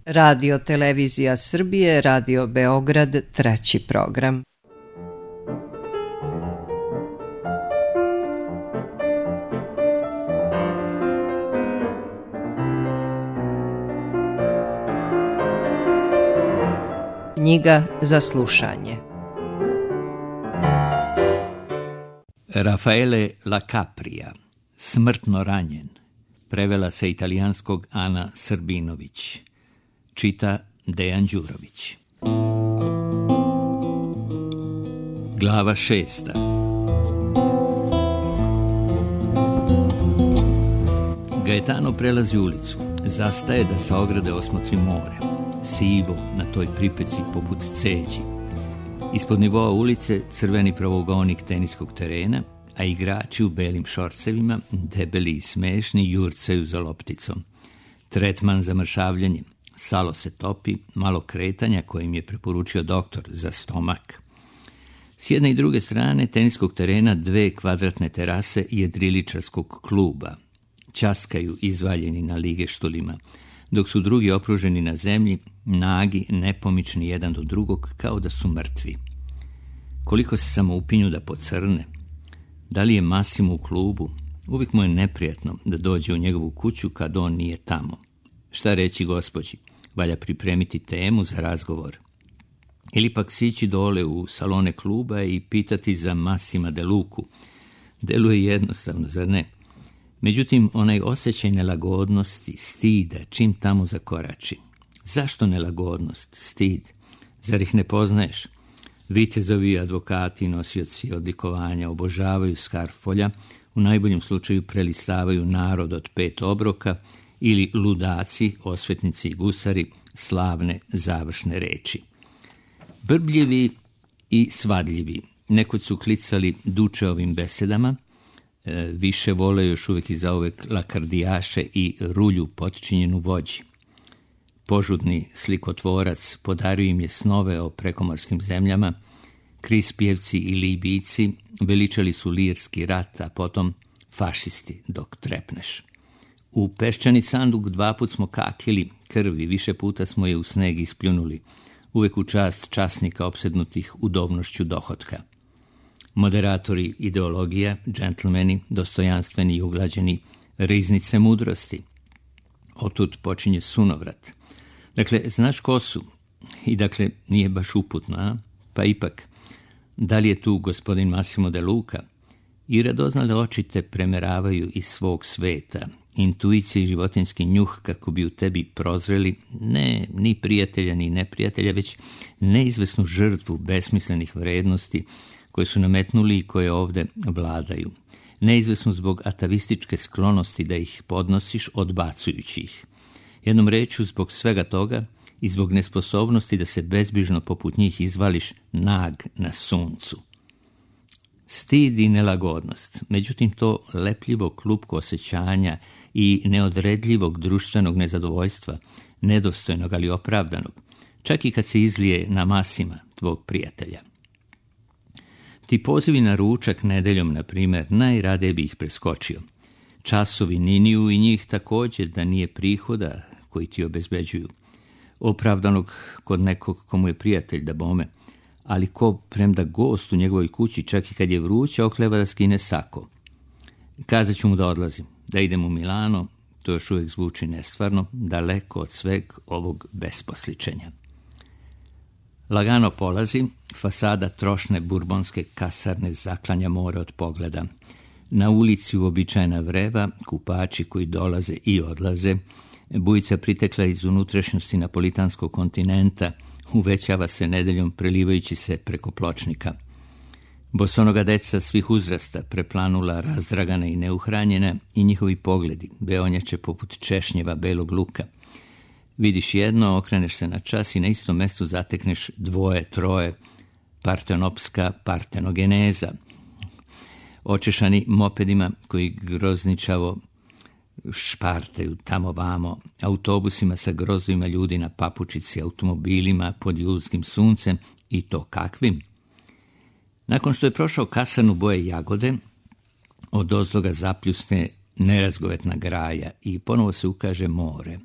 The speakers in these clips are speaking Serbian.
Radio Televizija Srbije, Radio Beograd, 3. program. Knjiga za slušanje. Raffaele La Capria, Smrtno ranjen, prevela sa italijanskog Ana Srbinović, čita Dejan Đurović. Glava 6. Gaetano prelazi ulicu, zastaje da sa ograde osmotri more, sivo na toj pripeci poput ceđi. Ispod nivoa ulice crveni pravougonik teniskog terena, a igrači u belim šorcevima, debeli i smešni, jurcaju za lopticom. Tretman za mršavljanje, salo se topi, malo kretanja kojim je preporučio doktor za stomak. S jedne i druge strane teniskog terena 2 kvadratne terase jedriličarskog kluba. Ćaskaju izvaljeni na ligeštulima, dok su drugi okruženi na zemlji, nagi, nepomični jedan do drugog, kao da su mrtvi. Koliko se samo upinju da pocrne. Da li je Massimo u klubu? Uvijek mu je neprijatno da dođe u njegovu kuću kad on nije tamo. Šta reći gospođi? Valja pripremiti temu za razgovor. Ili pak sići dole u salone kluba i pitati za Massima De Luku. Deluje jednostavno, zar ne? Međutim, onaj osjećaj nelagodnosti, stida, čim tamo zakorači. Zašto nelagodnost, stid? Zar ih ne poznaješ? Vitezovi, advokati, nosioci odlikovanja obožavaju Skarfolja, u najboljem slučaju prelistavaju Narod od 5 obroka ili ludaci, osvetnici i gusari, slavne završne reči. Brbljivi i svadljivi, nekud su klicali Dučeovim besedama, više vole još uvijek i zauvek lakardijaše i rulju potčinjenu vođi. Požudni slikotvorac podario im je snove o prekomorskim zemljama, Krispijevci i Libijci veličali su lirski rat, a potom fašisti dok trepneš. U peščani sanduk 2 put smo kakili krvi, više puta smo je u sneg ispljunuli, uvijek u čast časnika opsednutih udobnošću dohotka. Moderatori ideologija, džentlmeni, dostojanstveni i uglađeni, riznice mudrosti. Otud počinje sunovrat. Dakle, znaš ko su? I dakle, nije baš uputno, a? Pa ipak, da li je tu gospodin Massimo De Luca? I radoznale oči te premeravaju iz svog sveta, intuicija i životinski njuh kako bi u tebi prozreli ne ni prijatelja ni neprijatelja, već neizvesnu žrtvu besmislenih vrednosti koje su nametnuli i koje ovde vladaju. Neizvesnu zbog atavističke sklonosti da ih podnosiš odbacujući ih. Jednom rečju, zbog svega toga i zbog nesposobnosti da se bezbrižno poput njih izvališ nag na suncu. Stid i nelagodnost, međutim to lepljivo klupko osjećanja i neodredljivog društvenog nezadovoljstva, nedostojnog ali opravdanog, čak i kad se izlije na Massima, tvog prijatelja. Ti pozivi na ručak nedeljom, na primjer, najradije bi ih preskočio. Časovi niniju i njih također da nije prihoda koji ti obezbeđuju. Opravdanog kod nekog komu je prijatelj da bome, ali ko premda gost u njegovoj kući čak i kad je vruće okleva da skine sako. Kazat ću mu da odlazim, da idem u Milano, to još uvijek zvuči nestvarno, daleko od sveg ovog besposličenja. Lagano polazi, fasada trošne burbonske kasarne zaklanja more od pogleda. Na ulici uobičajena vreva, kupači koji dolaze i odlaze, bujica pritekla iz unutrašnjosti napolitanskog kontinenta, uvećava se nedeljom prelivajući se preko pločnika. Bosonoga deca svih uzrasta preplanula, razdragana i neuhranjena i njihovi pogledi beonjače poput češnjeva belog luka. Vidiš jedno, okreneš se na čas i na istom mjestu zatekneš 2, 3, partenopska partenogeneza. Očešani mopedima koji grozničavo špartaju tamo vamo, autobusima sa grozdovima ljudi na papučici, automobilima pod julskim suncem i to kakvim. Nakon što je prošao kasarnu boje jagode, od ozdoga zapljusne nerazgovetna graja i ponovo se ukaže more.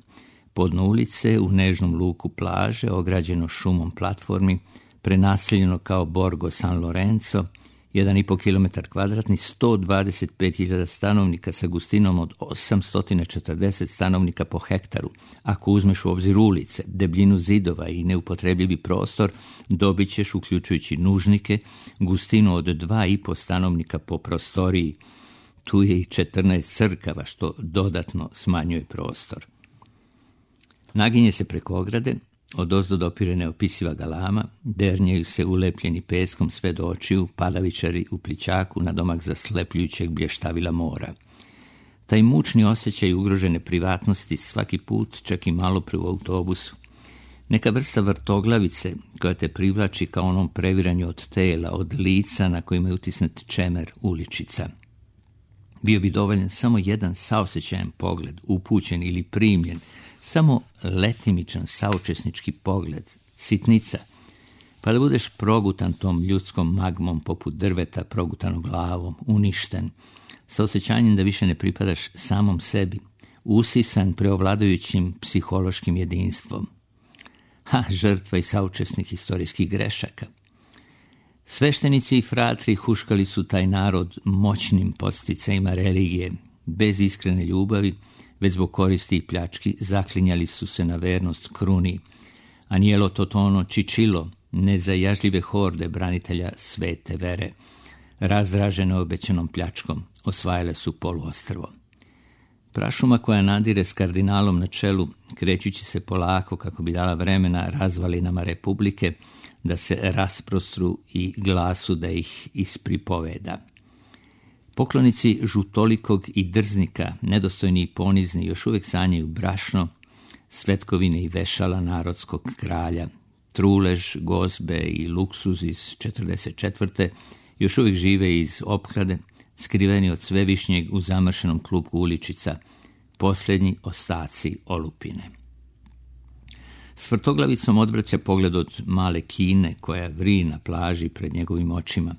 Podno ulice, u nežnom luku plaže, ograđeno šumom platformi, prenaseljeno kao Borgo San Lorenzo, 1,5 km kvadratni, 125.000 stanovnika sa gustinom od 840 stanovnika po hektaru. Ako uzmeš u obzir ulice, debljinu zidova i neupotrebljivi prostor, dobit ćeš, uključujući nužnike, gustinu od 2,5 stanovnika po prostoriji. Tu je i 14 crkava, što dodatno smanjuje prostor. Naginje se preko ograde, odozdo dopire neopisiva galama, dernjaju se ulepljeni peskom sve do očiju, padavičari u plićaku na domak zaslepljujućeg blještavila mora. Taj mučni osjećaj ugrožene privatnosti svaki put, čak i malo pre u autobusu. Neka vrsta vrtoglavice koja te privlači kao onom previranju od tela, od lica na kojima je utisnet čemer uličica. Bio bi dovoljan samo jedan saosjećajan pogled, upućen ili primljen, samo letimičan saučesnički pogled, sitnica, pa da budeš progutan tom ljudskom magmom poput drveta progutanog glavom, uništen, sa osjećanjem da više ne pripadaš samom sebi, usisan preovladajućim psihološkim jedinstvom. Žrtva i saučesnik historijskih grešaka. Sveštenici i fratri huškali su taj narod moćnim podsticajima religije, bez iskrene ljubavi, već zbog koristi i pljački zaklinjali su se na vernost kruni. Anielo Totono Čičilo, nezajažljive horde branitelja svete vere, razdražene obećanom pljačkom, osvajale su poluostrvo. Prašuma koja nadire s kardinalom na čelu, krećući se polako kako bi dala vremena razvalinama republike, da se rasprostru i glasu da ih ispripoveda. Poklonici žutolikog i drznika, nedostojni i ponizni, još uvijek sanjaju brašno, svetkovine i vešala narodskog kralja. Trulež, gozbe i luksuz iz 44. još uvijek žive iz opklade, skriveni od svevišnjeg u zamršenom klupku uličica, posljednji ostaci olupine. S vrtoglavicom odvraća pogled od male kine koja vri na plaži pred njegovim očima.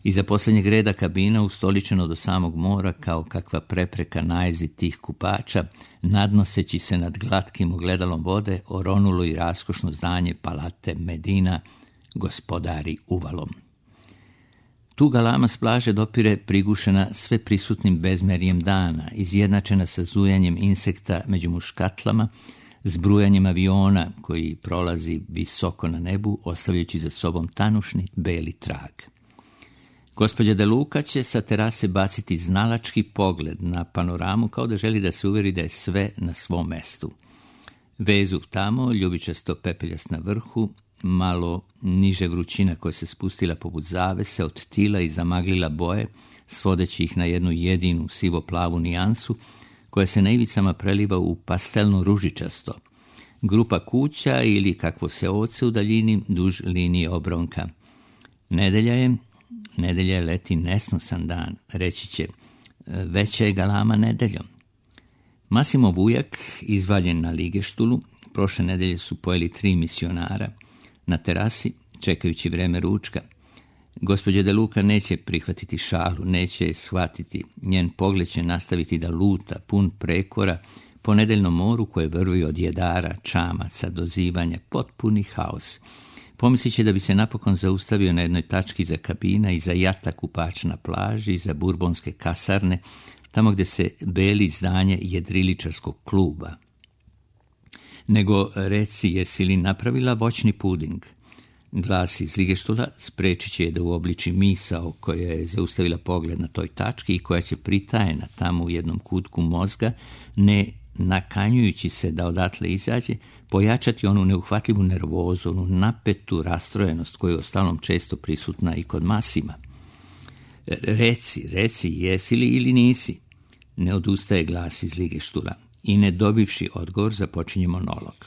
Iza posljednjeg reda kabina, ustoličeno do samog mora kao kakva prepreka najezi tih kupača, nadnoseći se nad glatkim ogledalom vode, oronulo i raskošno zdanje Palate Medina, gospodari uvalom. Tu galama s plaže dopire prigušena sve prisutnim bezmerjem dana, izjednačena sa zujanjem insekta među muškatlama, s brujanjem aviona koji prolazi visoko na nebu, ostavljajući za sobom tanušni beli trag. Gospođa De Luca će sa terase baciti znalački pogled na panoramu kao da želi da se uveri da je sve na svom mestu. Vezuv tamo, ljubičasto pepeljast na vrhu, malo niže vrućina koja se spustila poput zavese, odtila i zamaglila boje, svodeći ih na jednu jedinu sivo-plavu nijansu, koja se na ivicama preliva u pastelno ružičasto. Grupa kuća ili kakvo se oce u daljini duž linije obronka. Nedelja je leti nesnosan dan, reći će, veća je galama nedeljom. Masimo Vujak, izvaljen na ligeštulu, prošle nedelje su pojeli 3 misionara na terasi, čekajući vreme ručka. Gospođa De Luca neće prihvatiti šalu, neće je shvatiti, njen pogled će nastaviti da luta, pun prekora, po nedeljnom moru koje vrvi od jedara, čamaca, dozivanja, potpuni haos. Pomislit će da bi se napokon zaustavio na jednoj tački za kabina i za jata kupač na plaži, za burbonske kasarne, tamo gdje se beli zdanje jedriličarskog kluba. Nego reci, jesi li napravila voćni puding? Glas iz ligeštula sprečit će je da uobliči misao koja je zaustavila pogled na toj tački i koja će pritajena tamo u jednom kutku mozga, ne nakanjujući se da odatle izađe, pojačati onu neuhvatljivu nervozu, onu napetu rastrojenost koja je ostalom često prisutna i kod Masima. Reci, jesi li ili nisi? Ne odustaje glas iz ligeštula i ne dobivši odgovor započinje monolog.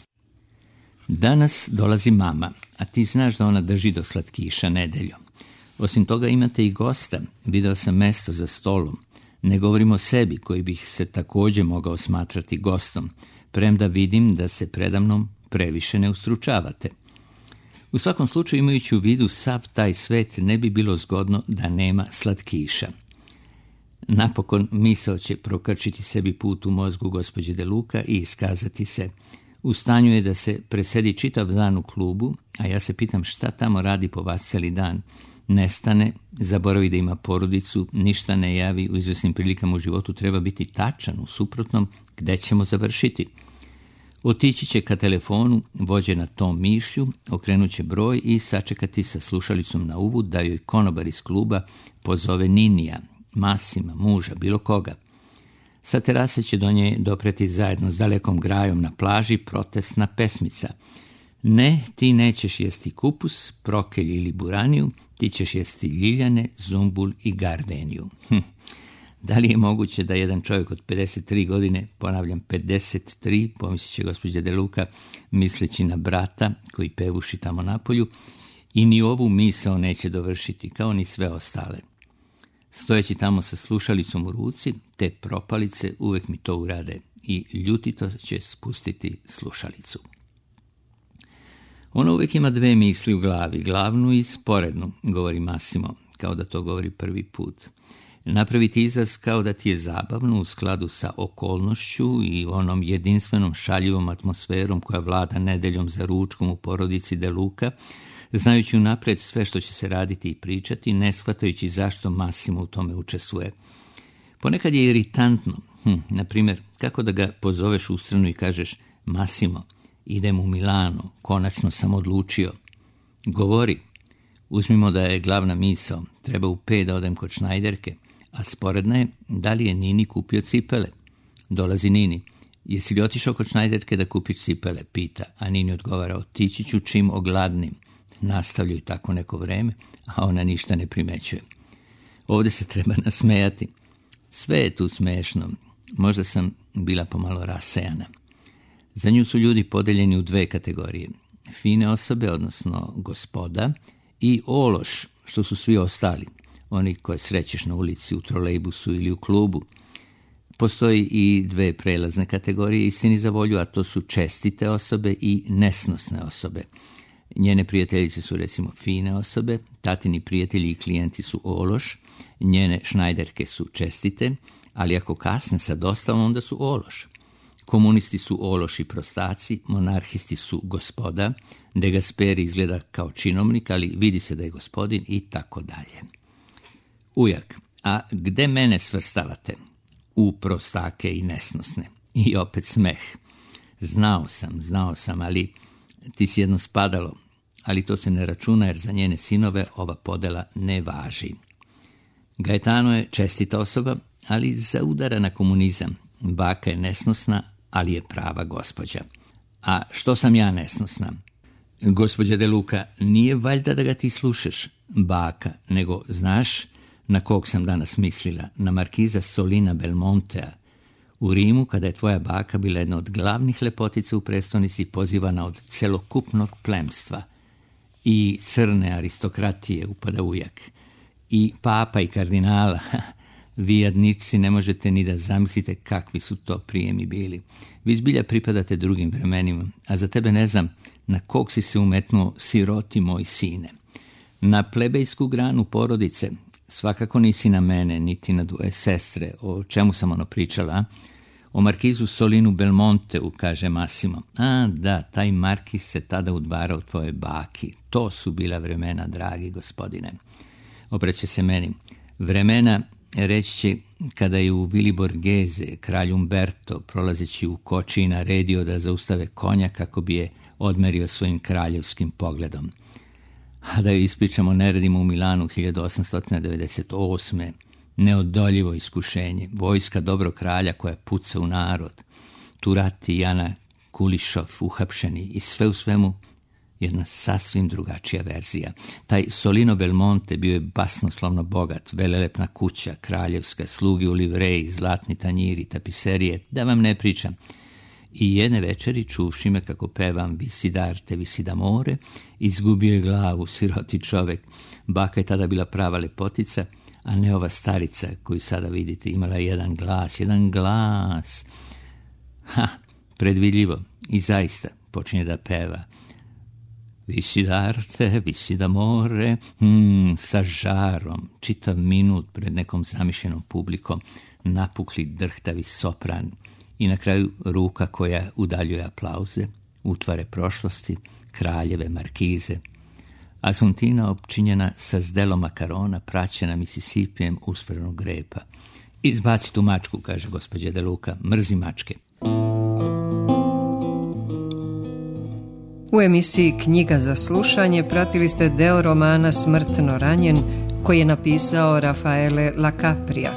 Danas dolazi mama, a ti znaš da ona drži do slatkiša nedeljom. Osim toga imate i gosta, video sam mesto za stolom. Ne govorim o sebi koji bih se također mogao smatrati gostom, premda vidim da se predamnom previše ne ustručavate. U svakom slučaju, imajući u vidu sav taj svet, ne bi bilo zgodno da nema slatkiša. Napokon misao će prokrčiti sebi put u mozgu gospođe De Luca i iskazati se: U stanju je da se presedi čitav dan u klubu, a ja se pitam šta tamo radi po vas cijeli dan. Nestane, zaboravi da ima porodicu, ništa ne javi, u izvesnim prilikama u životu treba biti tačan, u suprotnom gde ćemo završiti. Otići će ka telefonu, vođena tom mišlju, okrenut će broj i sačekati sa slušalicom na uvu da joj konobar iz kluba pozove Ninija, Masima, muža, bilo koga. Sa terase će do nje dopreti zajedno s dalekom grajom na plaži protestna pesmica. Ne, ti nećeš jesti kupus, prokelj ili buraniju, ti ćeš jesti ljiljane, zumbul i gardeniju. Da li je moguće da jedan čovjek od 53 godine, ponavljam 53, pomislit će gospođa De Luca, misleći na brata koji pevuši tamo napolju, i ni ovu misao neće dovršiti, kao ni sve ostale. Stojeći tamo sa slušalicom u ruci, te propalice uvek mi to urade i ljutito će spustiti slušalicu. Ona uvijek ima dve misli u glavi, glavnu i sporednu, govori Massimo, kao da to govori prvi put. Napraviti izraz kao da ti je zabavno u skladu sa okolnošću i onom jedinstvenom šaljivom atmosferom koja vlada nedeljom za ručkom u porodici De Luca, znajući unapred sve što će se raditi i pričati, ne shvatajući zašto Massimo u tome učestvuje. Ponekad je iritantno, na primjer, kako da ga pozoveš u stranu i kažeš: Massimo, idem u Milano, konačno sam odlučio. Govori. Uzmimo da je glavna misao, treba u 5 da odem kod Šnajderke, a sporedna je da li je Nini kupio cipele. Dolazi Nini. Jesi li otišao kod Šnajderke da kupiš cipele? Pita, a Nini odgovara: otići ću čim ogladnim. Nastavljaju tako neko vreme, a ona ništa ne primećuje. Ovdje se treba nasmejati. Sve je tu smešno. Možda sam bila pomalo rasejana. Za nju su ljudi podeljeni u 2 kategorije. Fine osobe, odnosno gospoda, i ološ, što su svi ostali. Oni koje srećeš na ulici, u trolejbusu ili u klubu. Postoji i 2 prelazne kategorije, istini za volju, a to su čestite osobe i nesnosne osobe. Njene prijateljice su recimo fine osobe, tatini prijatelji i klijenti su ološ, njene Šnajderke su čestite, ali ako kasne sa dostavom, onda su ološ. Komunisti su ološi prostaci, monarhisti su gospoda, De Gasperi izgleda kao činovnik, ali vidi se da je gospodin i tako dalje. Ujak, a gde mene svrstavate? U prostake i nesnosne. I opet smeh. Znao sam, ali ti si jedno spadalo, ali to se ne računa jer za njene sinove ova podela ne važi. Gaetano je čestita osoba, ali zaudara na komunizam. Baka je nesnosna, ali je prava gospođa. A što sam ja nesnosna? Gospođa De Luca, nije valjda da ga ti slušaš, baka, nego znaš na kog sam danas mislila? Na markiza Solina Belmontea. U Rimu, kada je tvoja baka bila jedna od glavnih lepotica u prestonici, pozivana od celokupnog plemstva. I crne aristokratije, upada ujak. I papa i kardinala. Vi jadničci ne možete ni da zamislite kakvi su to prijemi bili. Vi zbilja pripadate drugim vremenima, a za tebe ne znam na kog si se umetnuo, siroti moj sine. Na plebejsku granu porodice, svakako nisi na mene, niti na 2 sestre. O čemu sam ono pričala? O markizu Solinu Belmonteu, kaže Massimo. A, da, taj markiz se tada udvarao tvojoj baki. To su bila vremena, dragi gospodine. Obraća se meni. Vremena, reći će, kada je u Vili Borghese kralj Umberto, prolazeći u koči, naredio da zaustave konja kako bi je odmerio svojim kraljevskim pogledom. A da ju ispričamo, neredimo u Milanu 1898. Neodoljivo iskušenje, vojska dobro kralja koja puca u narod, Turati, Jana Kulišov uhapšeni i sve u svemu jedna sasvim drugačija verzija. Taj Solino Belmonte bio je basnoslovno bogat, velelepna kuća, kraljevska, slugi u livreji, zlatni tanjiri, tapiserije, da vam ne pričam. I jedne večeri, čuvši me kako pevam Visidarte, Visidamore, izgubio je glavu, siroti čovek. Baka je tada bila prava lepotica, a ne ova starica koju sada vidite, imala jedan glas. Predvidljivo. I zaista počinje da peva. Visidarte, Visidamore, sa žarom, čitav minut pred nekom zamišljenom publikom, napukli drhtavi sopran I na kraju ruka koja udaljuje aplauze, utvare prošlosti, kraljeve, markize. Asuntina opčinjena sa zdelom makarona, praćena Misisipijem uspravnog grepa. Izbaci tu mačku, kaže gospođa De Luca, mrzi mačke. U emisiji Knjiga za slušanje pratili ste deo romana Smrtno ranjen, koji je napisao Rafaele Lacapria.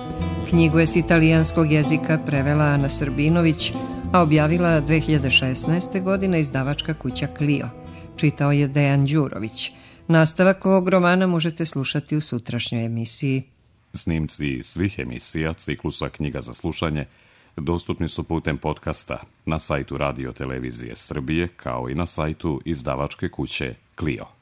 Knjigu je s italijanskog jezika prevela Ana Srbinović, a objavila 2016. godine izdavačka kuća Clio. Čitao je Dejan Đurović. Nastavak ovog romana možete slušati u sutrašnjoj emisiji. Snimci svih emisija ciklusa Knjiga za slušanje dostupni su putem podcasta na sajtu Radio Televizije Srbije, kao i na sajtu izdavačke kuće Clio.